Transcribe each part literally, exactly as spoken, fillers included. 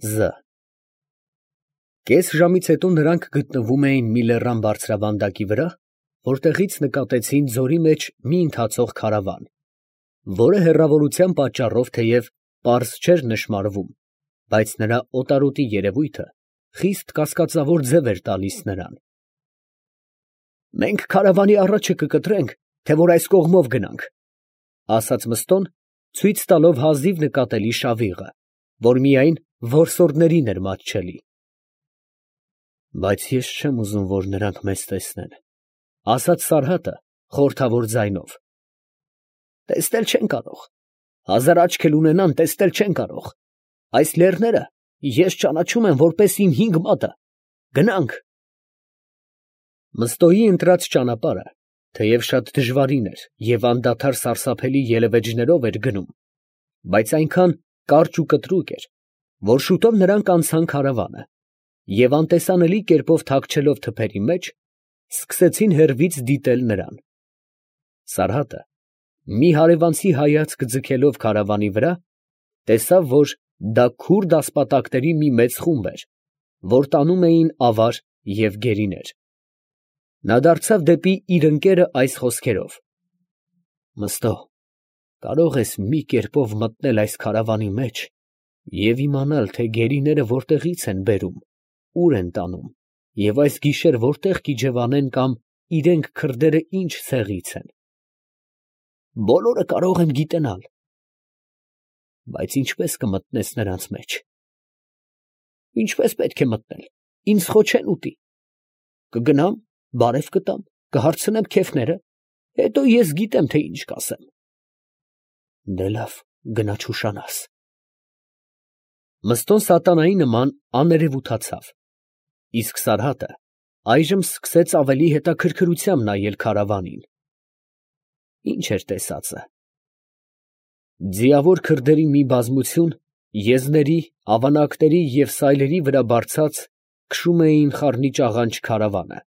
Զ Կես ժամից հետո նրանք գտնվում էին մի լեռան բարձրավանդակի վրա, որտեղից նկատեցին ձորի մեջ մի ընթացող քարավան, որը հեռավորության պատճառով թեև պարզ չէր նշմարվում, բայց նրա օտարոտի երևույթը խիստ կասկածավոր ձև էր տալիս նրան։ «Մենք քարավանի առաջը կկտրենք, թե որ այս կողմով գնանք, ֊ ասաց Մըստոն, ցույց տալով հազիվ նկատելի շավիղը, որ միայն որսորդներին էր մատչելի։ ֊ Բայց ես չեմ ուզում, որ նրանք մեզ տեսնեն, ֊ ասաց Սարհատը խորհրդավոր ձայնով։ ֊ Տեսնել չեն կարող, հազար աչք էլ ունենան, տեսնել չեն կարող, այս լեռները ես ճանաչում եմ որպես իմ հինգ մատը, գնանք։ Մըստոյի ընտրած ճանապարհը, թեև շատ դժվարին էր և անդադար սարսափելի ելևէջներով էր գնում, բայց այնքան կարճ ու կտրուկ էր, որ շուտով նրանք անցան քարավանը և անտեսանելի կերպով թաքչելով թփերի մեջ, սկսեցին հեռվից դիտել նրան։ Սարհատը, մի հարևանցի հայացք ձգելով քարավանի վրա, տեսավ, որ դա քուրդ ասպատակների մի մեծ խումբ էր, որ տանում էին ավար և գերիներ։ Նա դարձավ դեպի իր ընկերը այս խոսքերով. ֊ Մըստո, կարող ես մի կերպով մտնել այս քարավանի մեջ և իմանալ, թե գերիները որտեղից են բերում, ուր են տանում և այս գիշեր որտեղ կիջևանեն կամ իրանք քրդերը ինչ ցեղից են։ ֊ Բոլորը կարող եմ գիտենալ։ ֊ Բայց ինչպե՞ս կմտնես նրանց մեջ։ ֊ Ինչպես պետք է մտնել, ինձ խո չեն ուտի։ Կգնամ, բարև կտամ, կհարցնեմ քեֆները, հետո ես գիտեմ, թե ինչ կասեմ։ ֊ Դե լավ, գնա չուշանաս։ Մըստոն սատանայի նման աներևութացավ, իսկ Սարհատը այժմ սկսեց ավելի հետաքրքրությամբ նայել քարավանին։ Ի՞նչ էր տեսածը։ Ձիավոր քրդերի մի բազմություն եզների, ավանակների և սայլերի վրա բարձած քշում էին խառնիճաղանճ քարավանը,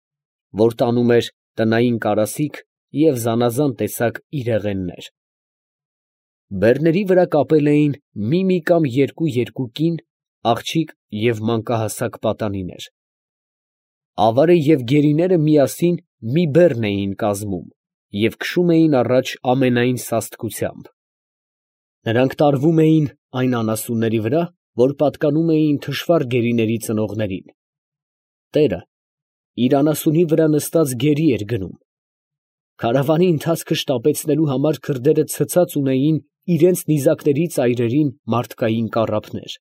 որ տանում էր տնային կարասիք և զանազան տեսակ իրեղեններ։ Բեռների վրա կապել էին մի֊մի կամ երկու֊երկու կին, աղջիկ և մանկահասակ պատանիներ։ Ավարը և գերիները միասին մի բեռն էին կազմում և քշում էին առաջ ամենայն սաստկությամբ։ Նրանք տարվում էին այն անասունների վրա, որ պատկանում էին թշվառ գերիների ծնողներին։ Տերը իր անասունի վրա նստած գերի էր գնում։ Քարավանի ընթացքը շտապեցնելու համար քրդերը ցցած ունեին իրենց նիզակների ծայրերին մարդկային կառափներ։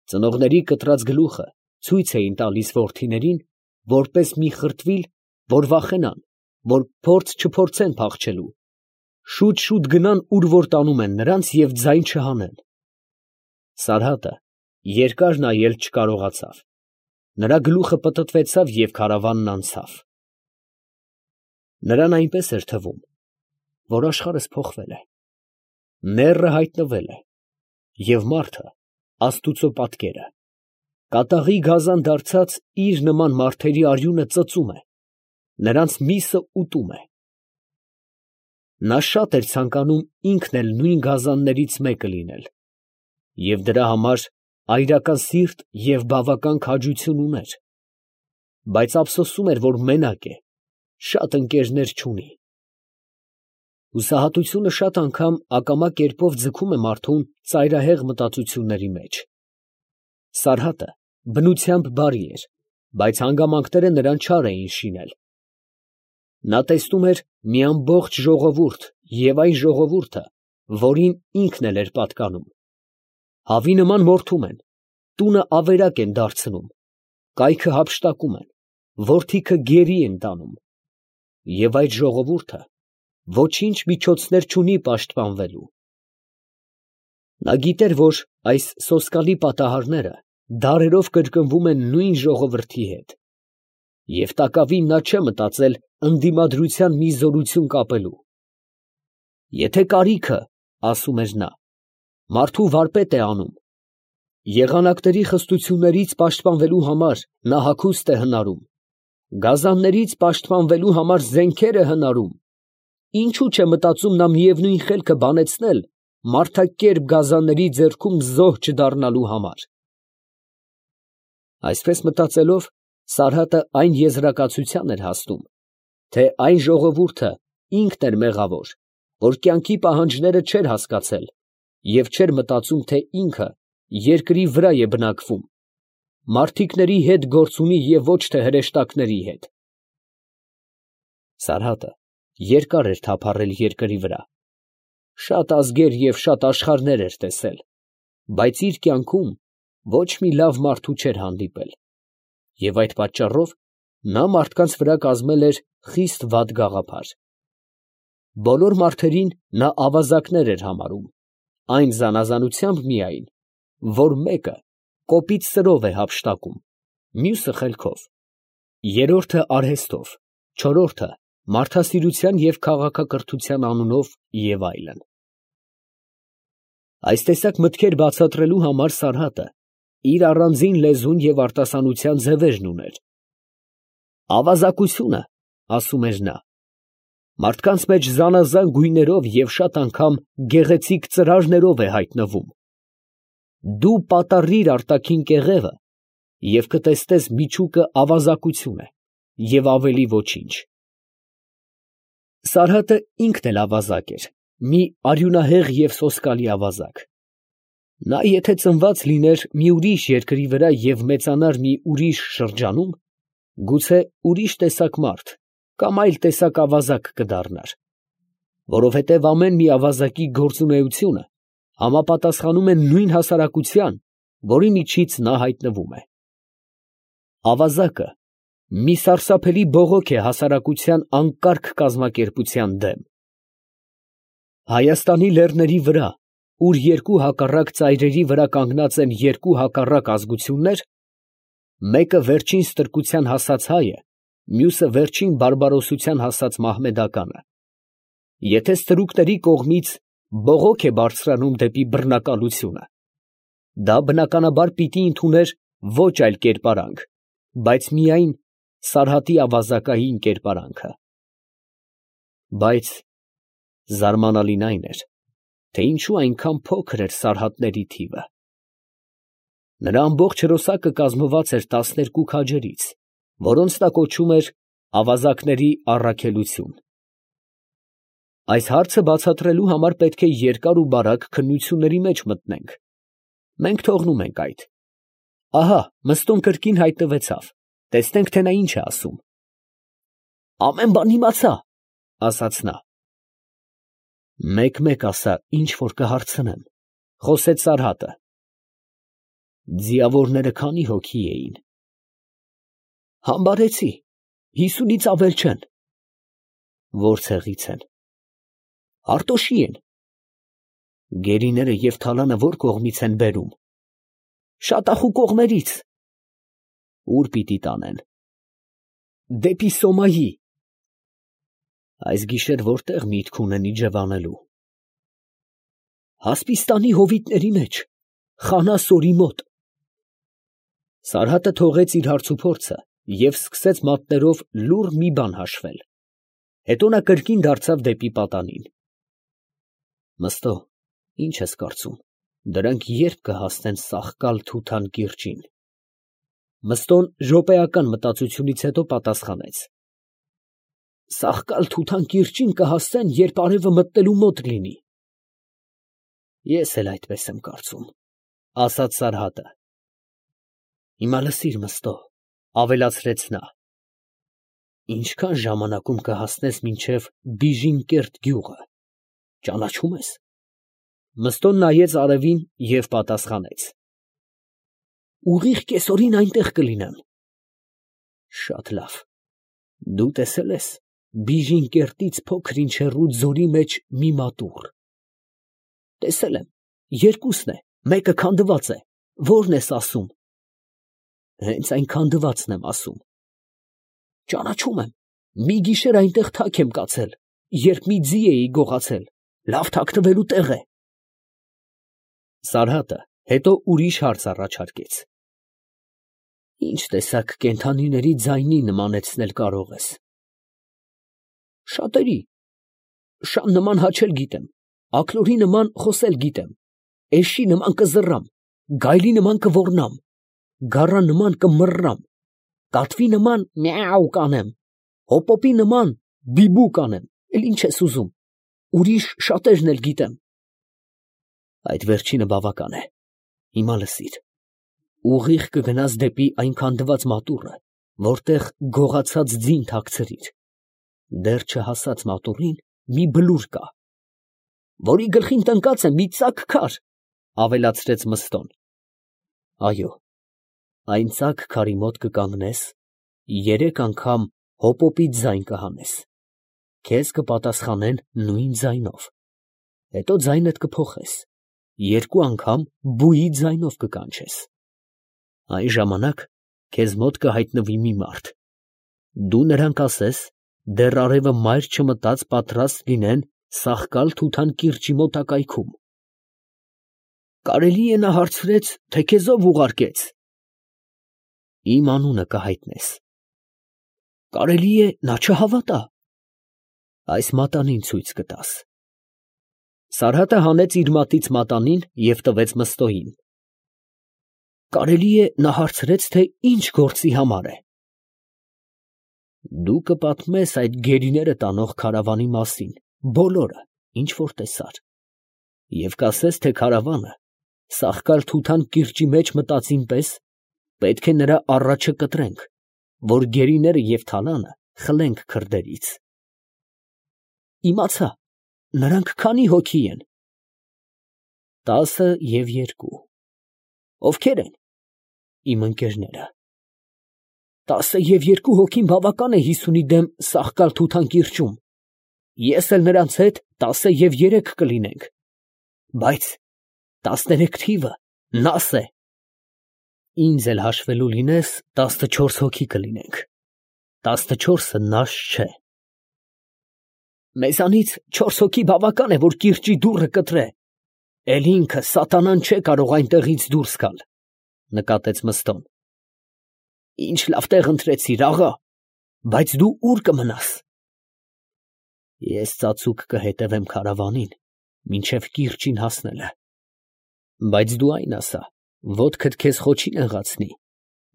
Ծնողների կտրած գլուխը ցույց էին տալիս որդիներին, որպես մի խրտվիլ, որ վախենան, որ փորձ չփորձեն փախչելու, շուտ֊շուտ գնան, ուր որ տանում են նրանց և ձայն չհանեն։ Սարհատը երկար նայել չկարողացավ, նրա գլուխը պտտվեցավ և քարավանն անցավ։ Նրան այնպես էր թվում, որ աշխարհս փոխվել է, նեռը հայտնվել է, և մարդը, աստուծո պատկերը, կատաղի գազան դարձած իր նման մարդերի արյունը ծծում է, նրանց միսը ուտում է։ Նա շատ էր ցանկանում ինքն էլ նույն գազաններից մեկը լինել, և դրա համար այրական սիրտ և բավական քաջություն ուներ, բայց ափսոսում էր, որ մենակ է, շատ ընկերներ չունի։ Հուսահատությունը շատ անգամ ակամա կերպով ձգում է մարդուն ծայրահեղ մտածությունների մեջ։ Սարհատը բնությամբ բարի էր, բայց հանգամանքները նրան չար էին շինել։ Նա տեսնում էր մի ամբողջ ժողովուրդ և այն ժողովուրդը, որին ինքն էլ էր պատկանում, հավի նման մորթում են, տունը ավերակ են դարձնում, կայքը հափշտակում են, որդիքը գերի են տանում, և այդ ժողովուրդը ոչինչ միջոցներ չունի պաշտպանվելու։ Նա գիտեր, որ այս սոսկալի պատահարները դարերով կրկնվում են նույն ժողովրդի հետ, և տակավին նա չէ մտածել ընդդիմադրության մի զորություն կապելու։ Եթե կարիքը, ասում էր նա, մարդու վարպետ է անում, եղանակների խստություններից պաշտպանվելու համար նա հագուստ է հնարում, գազաններից պաշտպանվելու համար զենքեր է հնարում, ինչո՞ւ չէ մտածում նա միևնույն խելքը բանեցնել մարդակերպ գազանների ձեռքում զոհ չդառնալու համար։ Այսպես մտածելով, Սարհատը այն եզրակացության էր հասնում, թե այն ժողովուրդը ինքն էր մեղավոր, որ կյանքի պահանջները չէր հասկացել և չէր մտածում, թե ինքը երկրի վրա է բնակվում, մարդիկների հետ գործ ունի և ոչ թե հրեշտակների հետ։ Սարհատը երկար էր թափառել երկրի վրա, շատ ազգեր և շատ աշխարհներ էր տեսել, բայց իր կյանքում ոչ մի լավ մարդու չէր հանդիպել, և այդ պատճառով նա մարդկանց վրա կազմել էր խիստ վատ գաղափար։ Բոլոր մարդերին նա ավազակներ էր համարում, այն զանազանությամբ միայն, որ մեկը կոպիտ սրով է հափշտակում, մյուսը խելքով, երրորդը արհեստով, չորրորդը մարդասիրության և քաղաքակրթության անունով և այլն։ Այս տեսակ մտքեր բացատրելու համար Սարհատը իր առանձին լեզուն և արտասանության ձևերն ուներ։ «Ավազակությունը, ֊ ասում էր նա, ֊ մարդկանց մեջ զանազան գույներով և շատ անգամ գեղեցիկ ծրարներով է հայտնվում. դու պատառիր արտաքին կեղևը և կտեսնես միջուկը ավազակություն է և ավելի ոչինչ»։ Սարհատը ինքն էլ ավազակ էր, մի արյունահեղ և սոսկալի ավազակ։ Նա եթե ծնված լիներ մի ուրիշ երկրի վրա և մեծանար մի ուրիշ շրջանում, գուցե ուրիշ տեսակ մարդ կամ այլ տեսակ ավազակ կդառնար, որովհետև ամեն մի ավազակի գործունեությունը համապատասխանում է նույն հասարակության, որի միջից նա հայտնվում է։ Ավազակը մի սարսափելի բողոք է հասարակության անկարգ կազմակերպության դեմ։ Հայաստանի լեռների վրա, ուր երկու հակառակ ծայրերի վրա կանգնած են երկու հակառակ ազգություններ, մեկը վերջին ստրկության հասած հայը, մյուսը վերջին բարբարոսության հասած մահմեդականը, եթե ստրուկների կողմից բողոք է բարձրանում դեպի բռնակալությունը, դա բնականաբար պիտի ընդուներ ոչ այլ կերպարանք, բայց միայն Սարհատի ավազակային կերպարանքը։ Բայց զարմանալին այն էր, թե ինչու այնքան փոքր էր սարհատների թիվը։ Նրա ամբողջ հրոսակը կազմված էր տասներկու քաջերից, որոնց նա կոչում էր ավազակների առաքելություն։ Այս հարցը բացատրելու համար պետք է երկար ու բարակ քննությունների մեջ մտնենք. մենք թողնում ենք այդ։ Ահա Մըստոն կրկին հայտնվեցավ, տեսնենք, թե նա ինչ է ասում։ «Ամեն բան իմացա, ֊ ասաց նա։ ֊ Մեկ֊մեկ ասա, ինչ որ կհարցնեմ, ֊ խոսեց Սարհատը։ ֊ Ձիավորները քանի՞ հոգի էին։ ֊ Համբարեցի, հիսունից ավել չեն։ ֊ Ո՞ր ցեղից են։ ֊ Հարտոշի են։ ֊ Գերիները և թալանը ո՞ր կողմից են բերում։ ֊ Շատախու կողմերից։ ֊ Ո՞ւր պիտի տանեն։ ֊ Դեպի Սոմայի։ ֊ Այս գիշեր ո՞րտեղ միտք ունեն իջևանելու։ ֊ Հասպիստանի հովիտների մեջ, Խանա֊Սորի մոտ։ Սարհատը թողեց իր հարցուփորձը և սկսեց մատներով լուռ մի բան հաշվել, հետո նա կրկին դարձավ դեպի պատանին։ ֊ Մըստո, ի՞նչ ես կարծում, դրանք ե՞րբ կհասնեն Սախկալ֊Թութան կիրճին։ Մըստոն րոպեական մտածությունից հետո պատասխանեց. ֊ Սախկալ֊Թութան կիրճին կհասնեն, երբ արևը մտնելու մոտ լինի։ ֊ Ես էլ այսպես եմ կարծում, ֊ ասաց Սարհատը։ ֊ Հիմա լսիր, Մըստո, ֊ ավելացրեց նա. ինչքան ժամանակում կհասնես մինչև Բիժինկերտ գյուղը, ճանաչո՞ւմ ես։ Մըստոն նայեց արևին և պատասխանեց. ուղիղ կեսօրին այնտեղ կլինեմ։ ֊ Շատ լավ. դու տեսե՞լ ես Բիժինկերտից փոքր ինչ հեռու ձորի մեջ մի մատուռ։ ֊ Տեսել եմ, երկուսն է, մեկը քանդված է, ո՞րն ես ասում։ ֊ Հենց այն քանդվածն եմ ասում։ ֊ Ճանաչում եմ, մի գիշեր այնտեղ թաք եմ կացել, երբ մի ձի էի գողացել, լավ թաքնվելու տեղ է։ Սարհատը հետո ուրիշ հարց առաջարկեց. ֊ Ի՞նչ տեսակ կենդանիների ձայնի նմանեցնել կարող ես։ ֊ Շատերի. շան նման հաչել գիտեմ, աքլորի նման խոսել գիտեմ, էշի նման կզռամ, գայլի նման կոռնամ, գառան նման կմռռամ, կատվի նման միաու կանեմ, հոպոպի նման բիբու կանեմ, էլ ինչ ես ուզում, ուրիշ շատերն էլ գիտեմ։ Այդ վերջինը բավական է, հիմա լսիր, ուղիղ կգնաս դեպի այն քանդված մատուռը, որտեղ գողացած ձին թաքցրիր, դեռ չհասած մատուռին մի բլուր կա, որի գլխին տնկած է մի ծակ քար, ավելացրեց Մըստոն։ Այո, այն ծակ քարի մոտ կկանգնես, երեք անգամ հոպոպի ձայն կհանես, քեզ կպատասխանեն նույն ձայնով, հետո ձայնդ կփոխես, երկու անգամ բուի ձայնով կկանչես, այն ժամանակ քեզ մոտ կհայտնվի մի մարդ, դու նրան կասես, դեռ արևը մայր չմտած պատրաստ լինեն Սախկալ֊Թութան կիրճի մոտակայքում։ Կարելի է նա հարցրեց, թե քեզ ով ուղարկեց։ Իմ անունը կհայտնես։ Կարելի է նա չհավատա։ Այս մատանին ցույց կտաս։ Սարհատը հանեց իր մատից մատանին և տվեց Մըստոյին։ Կարելի է նա հարցրեց, թե ինչ գործի համար է։ Դու կպատմես այդ գերիները տանող քարավանի մասին, բոլորը, ինչ որ տեսար, և կասես, թե քարավանը Սախկալ֊Թութան կիրճի մեջ մտածին պես պետք է նրա առաջը կտրենք, որ գերիները և թալանը խլենք քրդերից։ Իմացա, նրանք քանի հոգի են։ Տասը և երկու։ Ովքեր են։ Իմ ընկերները։ Տասը և երկու հոգին բավական է հիսունի դեմ Սախկալ֊Թութան կիրճում, ես էլ նրանց հետ տասը և երեք կլինենք, բայց տասներեք թիվը նաս է։ Ինձ էլ հաշվելու լինես, տասնչորս հոգի կլինենք, տասնչորսը նաս չէ։ Մեզանից չորս հոգի բավական է, որ կիրճի դուռը կտրե, էլ ինքը սատանան չէ կարող այնտեղից դուրս գալ, նկատեց Մըստոն։ Ինչ լավ տեղ ընտրեցիր, աղա, բայց դու ո՞ւր կմնաս։ Ես ծածուկ կհետևեմ քարավանին, մինչև կիրճին հասնելը, բայց դու այն ասա, ոտքդ քեզ խոչի նեղացնի,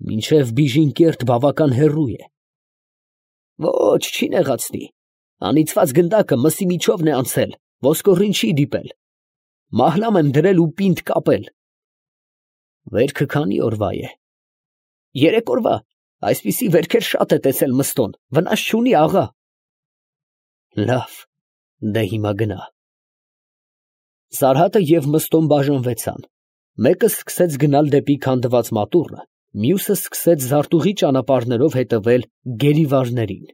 մինչև Բիժինկերտ բավական հեռու է։ Ոչ, չի նեղացնի, անիծված գնդակը մսի միջովն է անցել, ոսկորին չի դիպել, մահլամ եմ դրել ու պինդ կապել։ Վերքը քանի օրվա է։ Երեք օրվա, այսպիսի վերքեր շատ է տեսել Մըստոն, վնաս չունի, աղա։ Լավ, դե հիմա գնա։ Սարհատը և Մըստոն բաժանվեցան, մեկը սկսեց գնալ դեպի քանդված մատուռը, մյուսը սկսեց զարտուղի ճանապարհներով հետևել գերիվարներին։